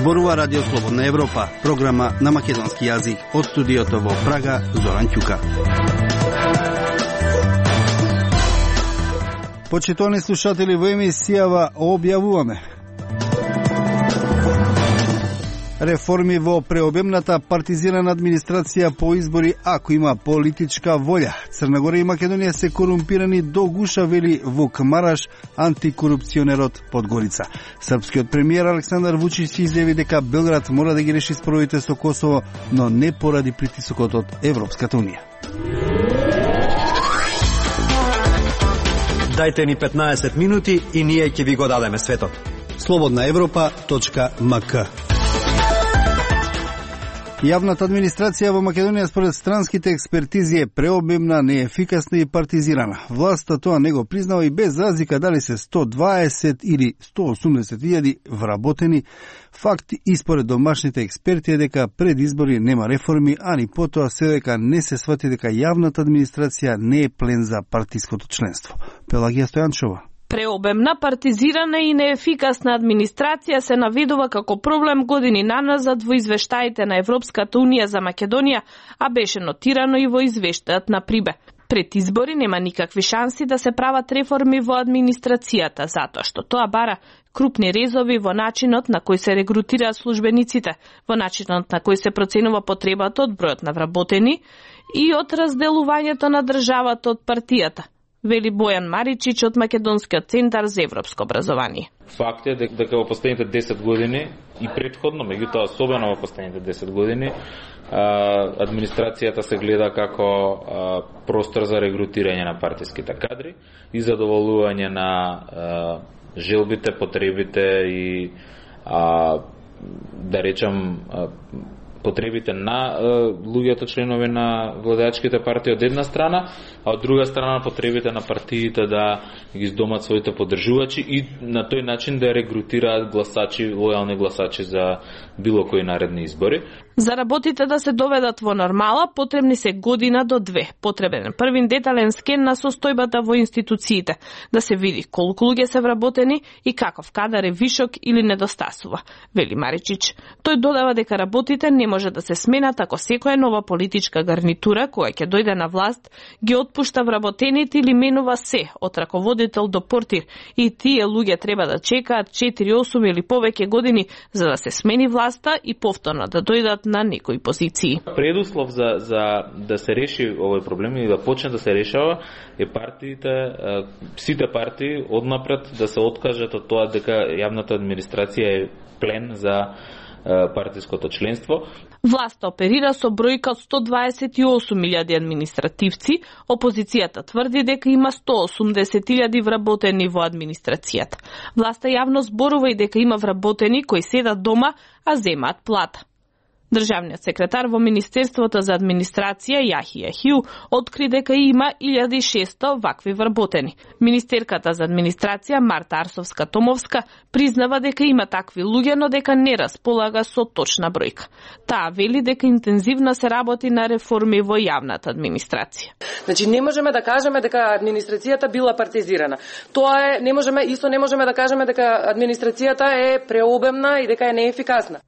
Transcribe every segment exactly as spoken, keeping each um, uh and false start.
Зборува Радио Слободна Европа, програма на македонски јазик. Од студиото во Прага, Зоран Ќука. Почитувани слушатели, во емисијава објавуваме реформи во преобемната партизирана администрација по избори ако има политичка волја. Црна Гора и Македонија се корумпирани до гуша, вели Вук Мараш, антикорупционерот Подгорица. Српскиот премиер Александар Вучич изјави дека Белград мора да ги реши споровите со Косово, но не поради притисокот од Европската унија. Дајте ни петнаесет минути и ние ќе ви го дадеме светот. слободна европа точка ем ка. Јавната администрација во Македонија според странските експертизи е преобемна, неефикасна и партизирана. Власта тоа не го признава и без разлика дали се сто дваесет или сто осумдесет илјади вработени. Факт и според домашните експерти е дека пред избори нема реформи, а ни потоа се дека не се свати дека јавната администрација не е плен за партиското членство. Пелагија Стојанчова. Преобемна, партизирана и неефикасна администрација се наведува како проблем години наназад во извештаите на Европската унија за Македонија, а беше нотирано и во извештајот на Прибе. Пред избори нема никакви шанси да се прават реформи во администрацијата, затоа што тоа бара крупни резови во начинот на кој се регрутираат службениците, во начинот на кој се проценува потребата од бројот на вработени и од разделувањето на државата од партијата, вели Бојан Маричич од Македонскиот центар за европско образование. Факт е дека во последните десет години и претходно, меѓутоа особено во последните десет години, администрацијата се гледа како простор за регрутирање на партиските кадри и задоволување на желбите, потребите и да речам потребите на луѓето членови на владеачките партии од една страна, а од друга страна потребите на партиите да ги издомат своите поддржувачи и на тој начин да регрутираат гласачи, лојални гласачи за било кои наредни избори. За работите да се доведат во нормала, потребни се година до две. Потребен е првин детален скен на состојбата во институциите, да се види колку луѓе се вработени и каков кадар е вишок или недостасува, вели Маричич. Тој додава дека работите не може да се сменат ако секоја нова политичка гарнитура која ќе дојде на власт ги отпушта вработените или менува се, од раководител до портир, и тие луѓе треба да чекаат четири, осум или повеќе години за да се смени власта и повторно да дојдат на некои позиции. Предуслов за, за да се реши овој проблем и да почне да се решава е партиите, сите партии однапред да се откажат од тоа дека јавната администрација е плен за партиското членство. Власта оперира со бројка од сто дваесет и осум илјади административци, опозицијата тврди дека има сто осумдесет илјади вработени во администрацијата. Власта јавно зборува и дека има вработени кои седат дома, а земаат плата. Државниот секретар во Министерството за администрација Јахија Хиу откри дека има илјада и шесто вакви вработени. Министерката за администрација Марта Арсовска-Томовска признава дека има такви луѓе, но дека не располага со точна бројка. Таа вели дека интензивно се работи на реформи во јавната администрација. Значи не можеме да кажеме дека администрацијата била партизирана. Тоа е, не можеме, исто не можеме да кажеме дека администрацијата е преобемна и дека е неефикасна.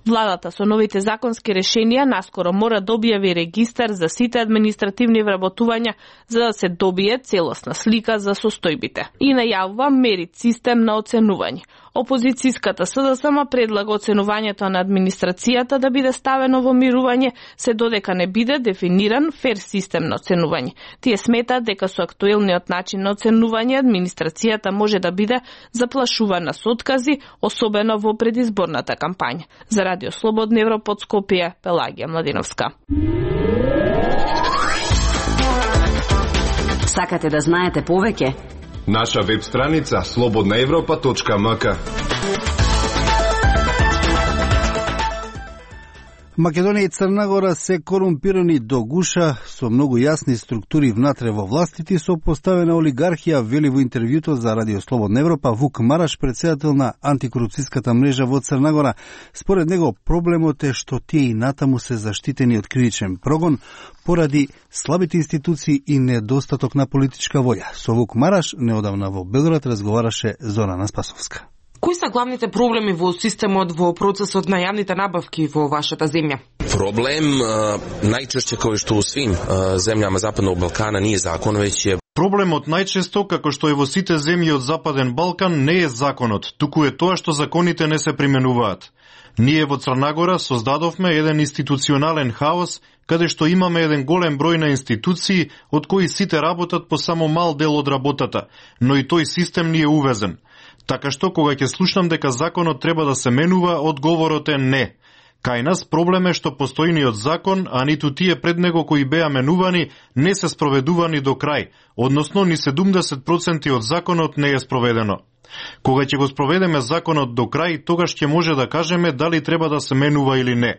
Владата со новите законски решенија наскоро мора да објави регистар за сите административни вработувања за да се добие целосна слика за состојбите. И најавува мерит систем на оценување. Опозицијската СДСМ предлага оценувањето на администрацијата да биде ставено во мирување, се додека не биде дефиниран фер систем на оценување. Тие сметаат дека со актуелниот начин на оценување администрацијата може да биде заплашувана со откази, особено во предизборната кампања. За Радио Слободна Европа од Скопје, Пелагија Младиновска. Сакате да знаете повеќе? Наша веб страница слободна европа точка ем ка. Македонија и Црна Гора се корумпирани до гуша со многу јасни структури внатре во властите и со поставена олигархија, вели во интервјуто за Радио Слободна Европа Вук Мараш, председател на антикорупцијската мрежа во Црна Гора. Според него проблемот е што тие и натаму се заштитени од кривичен прогон поради слабите институции и недостаток на политичка волја. Со Вук Мараш неодамна во Белград разговараше Зорана Спасовска. Кои се главните проблеми во системот во процесот на јавните набавки во вашата земја? Проблем најчешće кој што у свим земјама Западnog Балкана nije закон, веќе е Проблемот најчесто, како што е во сите земји од Западен Балкан, не е законот, туку е тоа што законите не се применуваат. Ние во Црнагора создадовме еден институционален хаос, каде што имаме еден голем број на институции, од кои сите работат по само мал дел од работата, но и тој систем ни е увезен. Така што, кога ќе слушнам дека законот треба да се менува, одговорот е не. Кај нас проблем е што постојниот закон, а ниту тие пред него кои беа менувани, не се спроведувани до крај, односно ни седумдесет проценти од законот не е спроведено. Кога ќе го спроведеме законот до крај, тогаш ќе може да кажеме дали треба да се менува или не.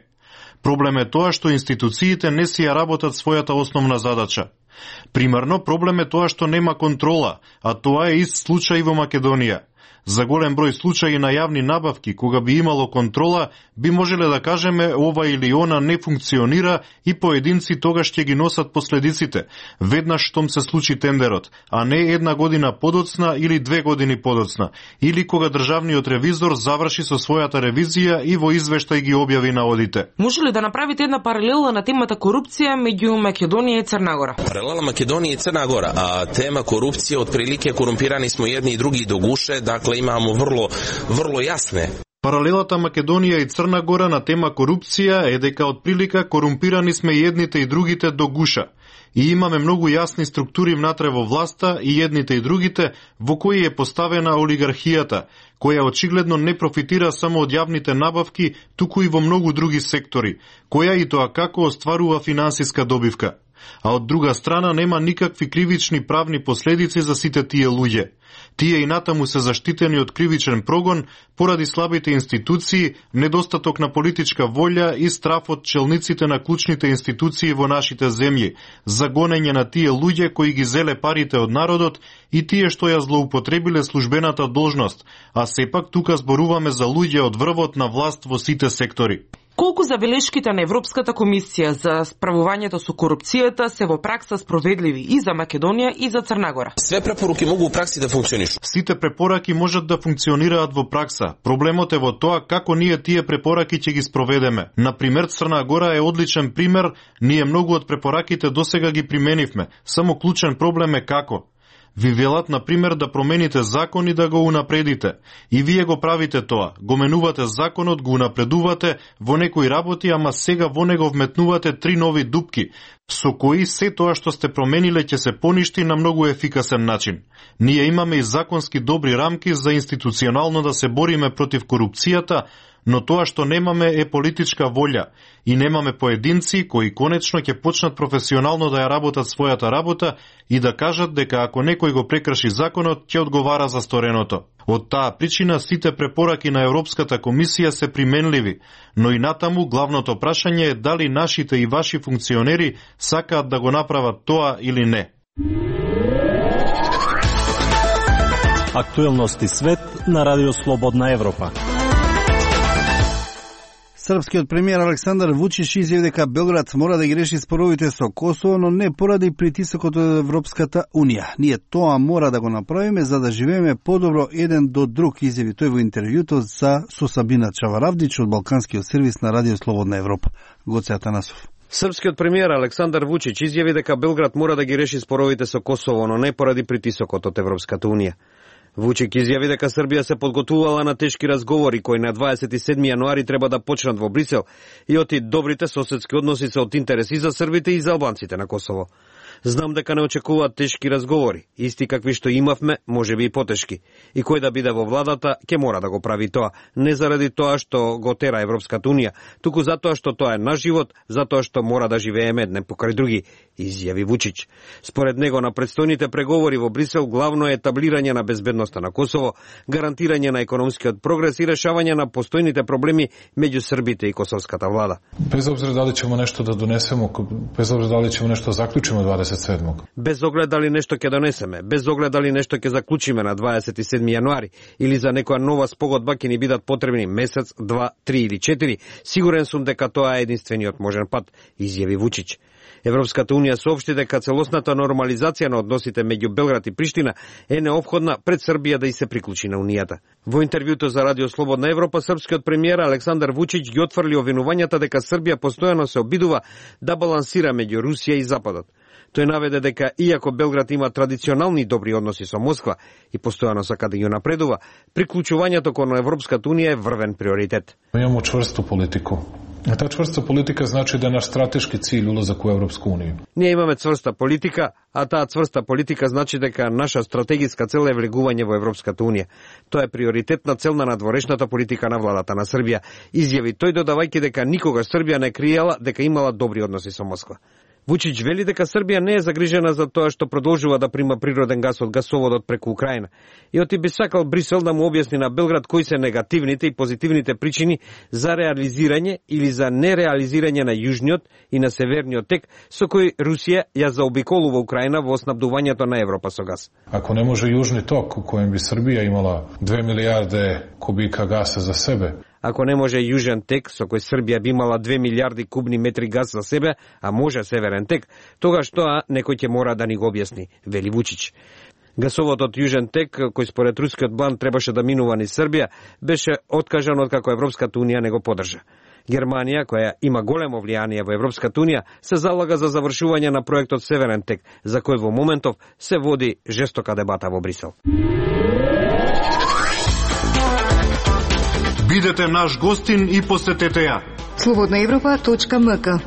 Проблем е тоа што институциите не си ја работат својата основна задача. Примерно, проблем е тоа што нема контрола, а тоа е ист случај во Македонија. За голем број случаи на јавни набавки, кога би имало контрола, би можеле да кажеме ова или она не функционира и поединци тогаш ќе ги носат последиците, веднаш штом се случи тендерот, а не една година подоцна или две години подоцна, или кога државниот ревизор заврши со својата ревизија и во извештај ги објави наодите. Може ли да направите една паралела на темата корупција меѓу Македонија и Црна Паралела Македонија и Црна Гора, а тема корупција, отприлике корумпирани смо едни и други до гуше, дакле имамо врло, врло јасне. Паралелата Македонија и Црна Гора на тема корупција е дека од прилика корумпирани сме и едните и другите до гуша. И имаме многу јасни структури внатре во власта и едните и другите, во кои е поставена олигархијата, која очигледно не профитира само од јавните набавки, туку и во многу други сектори, која и тоа како остварува финансиска добивка. А од друга страна нема никакви кривични правни последици за сите тие луѓе. Тие и натаму се заштитени од кривичен прогон поради слабите институции, недостаток на политичка волја и страф од челниците на клучните институции во нашите земји, за гонење на тие луѓе кои ги зеле парите од народот и тие што ја злоупотребиле службената должност, а сепак тука зборуваме за луѓе од врвот на власт во сите сектори. Колку забелешките на Европската комисија за справувањето со корупцијата се во пракса спроведливи и за Македонија и за Црна Гора? Све препоруки могу во пракси да функционишу. Сите препораки можат да функционираат во пракса. Проблемот е во тоа како ние тие препораки ќе ги спроведеме. Например, Црна Гора е одличен пример, ние многу од препораките досега ги применивме. Само клучен проблем е како. Ви велат, например, да промените закон и да го унапредите. И вие го правите тоа. Го менувате законот, го унапредувате во некои работи, ама сега во него вметнувате три нови дупки, со кои се тоа што сте промениле ќе се поништи на многу ефикасен начин. Ние имаме и законски добри рамки за институционално да се бориме против корупцијата, но тоа што немаме е политичка волја и немаме поединци кои конечно ќе почнат професионално да ја работат својата работа и да кажат дека ако некој го прекрши законот, ќе одговара за стореното. Од таа причина сите препораки на Европската комисија се применливи, но и натаму главното прашање е дали нашите и ваши функционери сакаат да го направат тоа или не. Актуелности свет на Радио Слободна Европа. Српскиот премиер Александар Вучич изјави дека Белград мора да ги реши споровите со Косово, но не поради притисокот од Европската Унија. Ние тоа мора да го направиме за да живееме подобро еден до друг, изјави тој во интервјуто за со Сабина Чаваравдич од Балканскиот сервис на Радио Слободна Европа. Гоце Атанасов. Српскиот премиер Александар Вучич изјави дека Белград мора да ги реши споровите со Косово, но не поради притисокот од Европската Унија. Вучик изјави дека Србија се подготвувала на тешки разговори кои на дваесет и седми јануари треба да почнат во Брисел и оти добрите соседски односи се од интерес и за србите и за албанците на Косово. Знам дека не очекуваат тешки разговори, исти какви што имавме, можеби и потешки. И кој да биде во владата, ќе мора да го прави тоа, не заради тоа што го тера Европската Унија, туку затоа што тоа е наш живот, затоа што мора да живееме едне покрај други, изјави Вучич. Според него на предстојните преговори во Брисел главно е етаблирање на безбедноста на Косово, гарантирање на економскиот прогрес и решавање на постојните проблеми меѓу србите и косовската влада. Без обзира дали ćemo нешто да донесеме, без обзира дали ćemo нешто заклучиме дваесет и седмог. Без оглед дали нешто ќе донесеме, без оглед дали нешто ќе заклучиме на дваесет и седми јануари или за некоја нова спогодба ќе ни бидат потребни месец, два, три или четири, сигурен сум дека тоа е единствениот можен пат, изјави Вучич. Европската унија соопшти дека целосната нормализација на односите меѓу Белград и Приштина е неопходна пред Србија да и се приклучи на унијата. Во интервјуто за Радио Слободна Европа, српскиот премиер Александар Вучич ги отфрли обвинувањата дека Србија постојано се обидува да балансира меѓу Русија и Западот. Тој наведе дека иако Белград има традиционални добри односи со Москва и постојано сака да ги напредува, приклучувањето кон Европската унија е врвен приоритет. Имamo čvrstu politiku. A ta čvrsta politika znači da je naš strateški cilj ulazak u Evropsku uniju. Ние имаме цврста политика, а таа цврста политика значи дека наша стратегиска цел е влегување во Европската унија. Тоа е приоритетна цел на надворешната политика на владата на Србија, изјави тој додавајќи дека никогаш Србија не криела дека имала добри односи со Москва. Вучич вели дека Србија не е загрижена за тоа што продолжува да прима природен газ од гасоводот преку Украина и оти би сакал Брисел да му објасни на Белград кои се негативните и позитивните причини за реализирање или за нереализирање на јужниот и на северниот тек со кој Русија ја заобиколува Украина во снабдувањето на Европа со газ. Ако не може јужни ток у коjem bi Srbija imala две милијарде kubika gasa za sebe, Ако не може јужен тек, со кој Србија би имала две милијарди кубни метри газ за себе, а може северен тек, тогаш тоа некој ќе мора да ни го објасни, вели Вучич. Гасоводот Јужен тек, кој според рускиот план требаше да минува низ Србија, беше откажан откако Европската унија не го поддржа. Германија, која има големо влијание во Европската унија, се залага за завршување на проектот Северен тек, за кој во моментов се води жестока дебата во Брисел. Бидете наш гостин и посетете ја. слободна европа точка ем ка.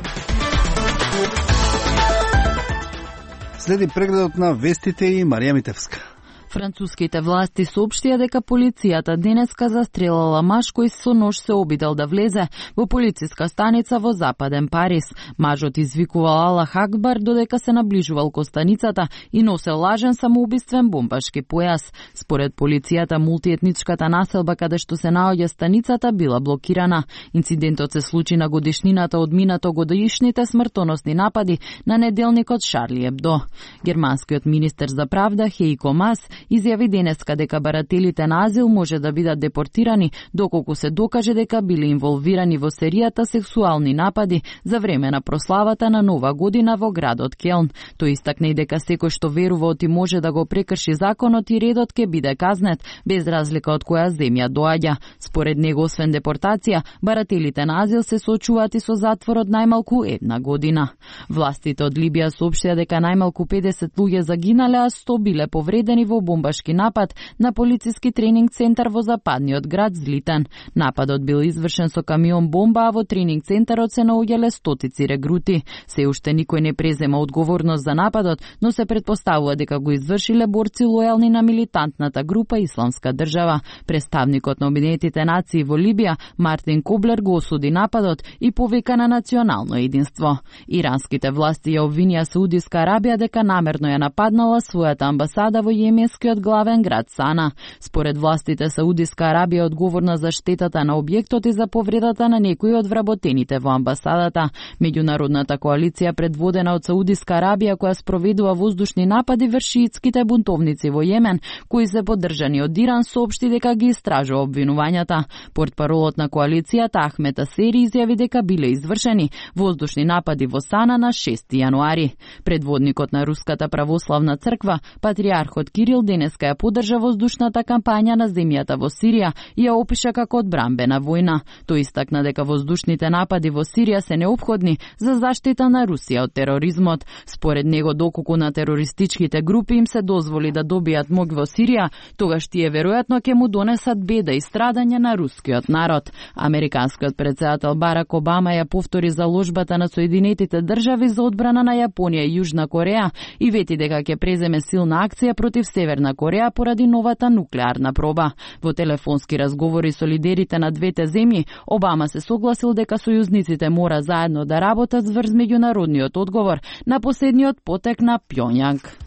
Следи прегледот на вестите и Марија Митевска. Француските власти соопштија дека полицијата денеска застрелала маж кој со нож се обидел да влезе во полициска станица во западен Париз. Мажот извикувал Аллах Акбар додека се наближувал кон станицата и носел лажен самоубиствен бомбашки појас. Според полицијата, мултиетничката населба каде што се наоѓа станицата била блокирана. Инцидентот се случи на годишнината од минато годишните смртоносни напади на неделникот Шарли Ебдо. Германскиот министер за правда Хейко Мас изјави денеска дека барателите на азил може да бидат депортирани доколку се докаже дека биле инволвирани во серијата сексуални напади за време на прославата на Нова година во градот Келн. Тој истакна и дека секој што верува оти може да го прекрши законот и редот ќе биде казнет, без разлика од која земја доаѓа. Според него, освен депортација, барателите на азил се соочуваат и со затвор од најмалку една година. Властите од Либија соопштија дека најмалку педесет луѓе загинале, а сто биле повредени во бомбашки напад на полициски тренинг центар во западниот град Злитен. Нападот бил извршен со камион бомба, а во тренинг центарот се наоѓале стотици регрути. Се уште никој не презема одговорност за нападот, но се претпоставува дека го извршиле борци лојални на милитантната група Исламска држава. Представникот на Обединетите нации во Либија, Мартин Коблер, го осуди нападот и повика на национално единство. Иранските власти ја обвинија Саудиска Арабија дека намерно ја нападнала својата амбасада во јеменскиот главен град Сана. Според властите, Саудиска Арабија е одговорна за штетата на објектот и за повредата на некои од вработените во амбасадата. Меѓународната коалиција, предводена од Саудиска Арабија, која спроведува воздушни напади врз шиитските бунтовници во Јемен, кои се поддржани од Иран, соопшти дека ги истражува обвинувањата. Портпаролот на коалицијата Ахмет Асери изјави дека биле извршени воздушни напади во Сана на шести јануари. Предводникот на Руската православна црква, патриархот Кирил, денеска ја поддржа воздушната кампања на земјата во Сирија и ја опиша како одбрамбена војна. Тој истакна дека воздушните напади во Сирија се неопходни за заштита на Русија од тероризмот. Според него, доколку на терористичките групи им се дозволи да добијат моќ во Сирија, тогаш тие веројатно ќе му донесат беда и страдање на рускиот народ. Американскиот претседател Барак Обама ја повтори заложбата на Соединетите држави за одбрана на Јапонија и Јужна Кореја и вети дека ќе преземе силна акција против Северна Кореја поради новата нуклеарна проба. Во телефонски разговори со лидерите на двете земји, Обама се согласил дека сојузниците мора заедно да работат врз меѓународниот одговор на последниот потек на Пјонјанг.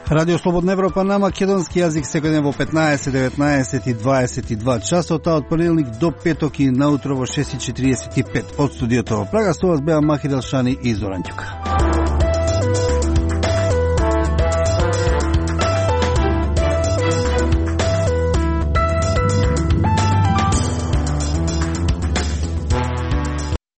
Радио Слободна Европа на македонски јазик секој ден во петнаесет, деветнаесет и дваесет и два часот, од понеделник до петок и наутро во шест и четириесет и пет. Од студиото во Прага со вас беа Махи Делшани и Зоран Ѓука.